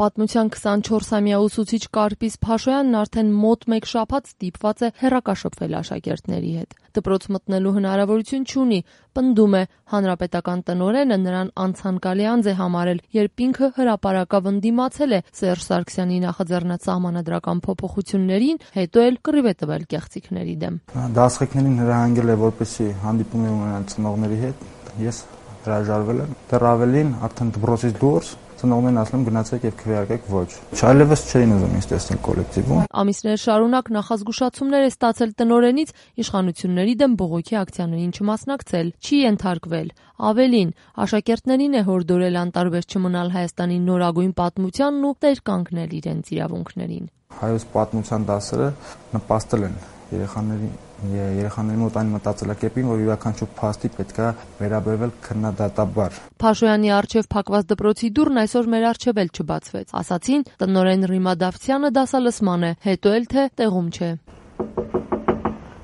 Պատմության 24-ամյա ուսուցիչ Կարպիս Փաշոյանն արդեն մոտ 1 շաբաթ ստիպված է հեռակաշփվել աշակերտների հետ։ Դպրոց մտնելու հնարավորություն չունի, պնդում է հանրապետական տնօրենը նրան անցանկալի անձ է համարել, երբ ինքը հրապարակավ ընդդիմացել է Սերժ Սարգսյանի նախաձեռնած սահմանադրական փոփոխություններին, հետո էլ կռիվ է տվել կեղծիքների դեմ։ Դասղեկներին հրահանգել է, որպեսզի հանդիպում ունենան ծնողների հետ, ես հրաժարվել եմ, դեռ ավելին արդեն դպրոցից դուրս ծնողներն ասում են գնացեք եւ քվեարկեք ոչ։ Չայլևս չէին ուզում ինձ տեսնել կոլեկտիվում։ Ամիսներ շարունակ նախազգուշացումներ է ստացել տնօրենից իշխանությունների դեմ բողոքի ակցիաներին չմասնակցել, չի ենթարկվել։ Ավելին, աշակերտներին է հորդորել անտարբեր չմնալ Հայաստանի նորագույն պատմությանն ու տեր կանգնել իրենց իրավունքներին։ Հայոց պատմության դասերը նպաստել են երեխաների մոտ այն մտածելակերպին, որ յուրաքանչյուր փաստի պետք է վերաբերվել քննադատաբար։ Փաշոյանի առջև փակված դպրոցի դուռն այսօր մեր առջև էլ չբացվեց։ Ասացին, տնօրեն Ռիմա Դավթյանը դասալսման է, հետո էլ թե տեղում չէ։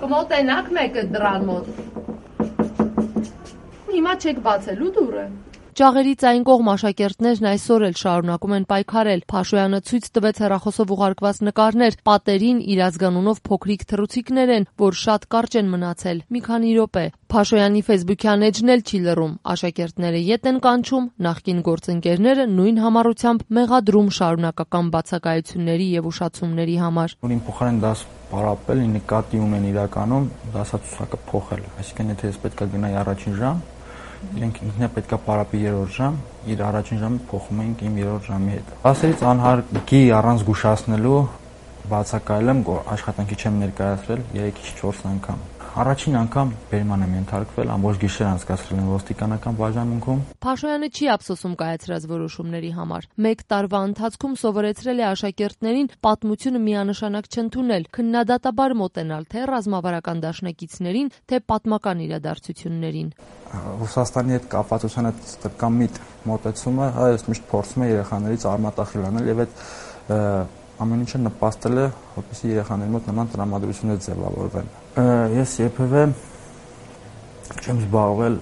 Կմոտենաք մեկը դռան մոտ։ Հիմա չեք բացելու դուռը։ Ճաղերի ցային կողմ աշակերտներն այսօր էլ շարունակում են պայքարել։ Փաշոյանը ցույց տվեց հեռախոսով ուղարկված նկարներ, պատերին իր ազգանունով փոքրիկ թռուցիկներ են, որ շատ կարճ են մնացել, մի քանի րոպե։ Փաշոյանի Facebook-յան էջն էլ չի լռում։ Աշակերտները ետ են կանչում, նախկին գործընկերները նույն համառությամբ մեղադրում շարունակական բացակայությունների եւ ուշացումների համար։ Որին փոխարեն դաս պարապել, նկատի ունեն իրականում դասացուցակը փոխել։ Այսինքն եթե ես պետք է գնայի առաջին ժամ, իրենք ինքնա պետքա պարապի 3-րդ ժամ, իր առաջին ժամը փոխում ենք իմ 3-րդ ժամի հետ։ Ասերից անհարգի առանց զգուշացնելու բացակայել եմ, աշխատանքի չեմ ներկայացրել 3-4 անգամ։ Առաջին անգամ բերման եմ ենթարկվել, ամբողջ գիշեր անցկացրել եմ ոստիկանական բաժանմունքում։ Փաշոյանը չի ափսոսում կայացրած որոշումների համար։ 1 տարվա ընթացքում սովորեցրել է աշակերտներին պատմությունը միանշանակ չընդունել, քննադատաբար մոտենալ թե ռազմավարական դաշնակիցներին, թե պատմական իրադարձություններին։ Ռուսաստանի հետ կապվածության այդ տրկամիտ մոտեցումը այս միշտ փորձում է երեխաներից արմատախիլ անել եւ այդ ամեն ինչը նպաստել է, որպեսզի երեխաների մոտ նման տրամադրություններ ձևավորվեն։ Ես երբևէ չեմ զբաղվել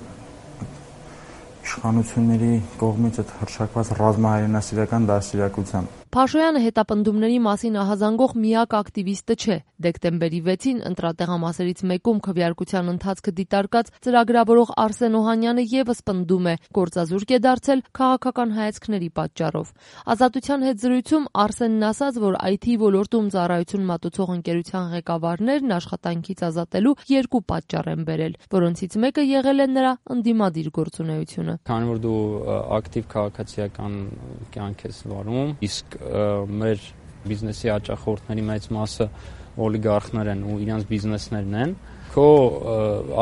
իշխանությունների կողմից այդ հռչակված ռազմահայրենասիրական դաստիարակությամբ։ Փաշոյանը հետապնդումների մասին ահազանգող միակ ակտիվիստը չէ։ Դեկտեմբերի 6-ին ընտրատեղամասերից մեկում քվեարկության ընթացքը դիտարկած ծրագրավորող Արսեն Օհանյանը եւս պնդում է, գործազուրկ է դարձել քաղաքական հայացքների պատճառով։ Ազատության հետ զրույցում Արսենն ասաց, որ IT ոլորտում ծառայություն մատուցող ընկերության ղեկավարներն աշխատանքից ազատելու 2 պատճառ են բերել, որոնցից մեկը եղել է նրա ընդդիմադիր գործունեությունը։ Քանի որ դու ակտիվ քաղաքացիական կյանք ես վարում, իսկ մեր բիզնեսի հաճախորդների մեծ մասը օլիգարխներ են ու իրենց բիզնեսներն են, քո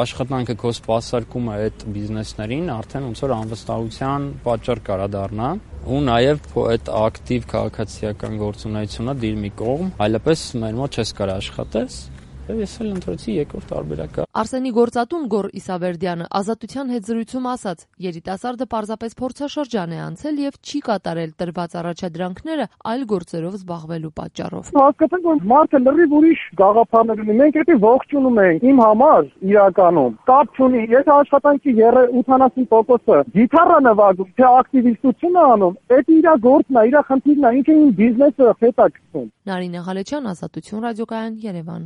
աշխատանքը, քո սպասարկումը այդ բիզնեսներին արդեն ոնց որ անվստահության պատճառ կարա դառնա ու նաև այդ ակտիվ քաղաքացիական գործունեությունը դիր մի կողմ, այլապես մեր մոտ չես կարող աշխատես։ Ես էլ ընտրեցի 2-րդ տարբերակը։ Արսենի գործատուն Գոռ Իսավերդյանը Ազատության հետ զրույցում ասաց, երիտասարդը պարզապես փորձաշրջան է անցել եւ չի կատարել տրված առաջադրանքները այլ գործերով զբաղվելու պատճառով։ Հասկացեք, որ մարդը լրիվ ուրիշ գաղափարներ ունի։ Մենք դա ողջունում ենք։ Իմ համար իրականում կապ չունի, եթե աշխատանքի 80%-ը գիտարը նվագում, թե ակտիվիստություն է անում, դա իր գործն է, իր խնդիրն է, ինքը իմ բիզնեսը հետաքրքրում։ Նարինե Ղալեչյան, Ազատություն ռադիոկայան, Երևան։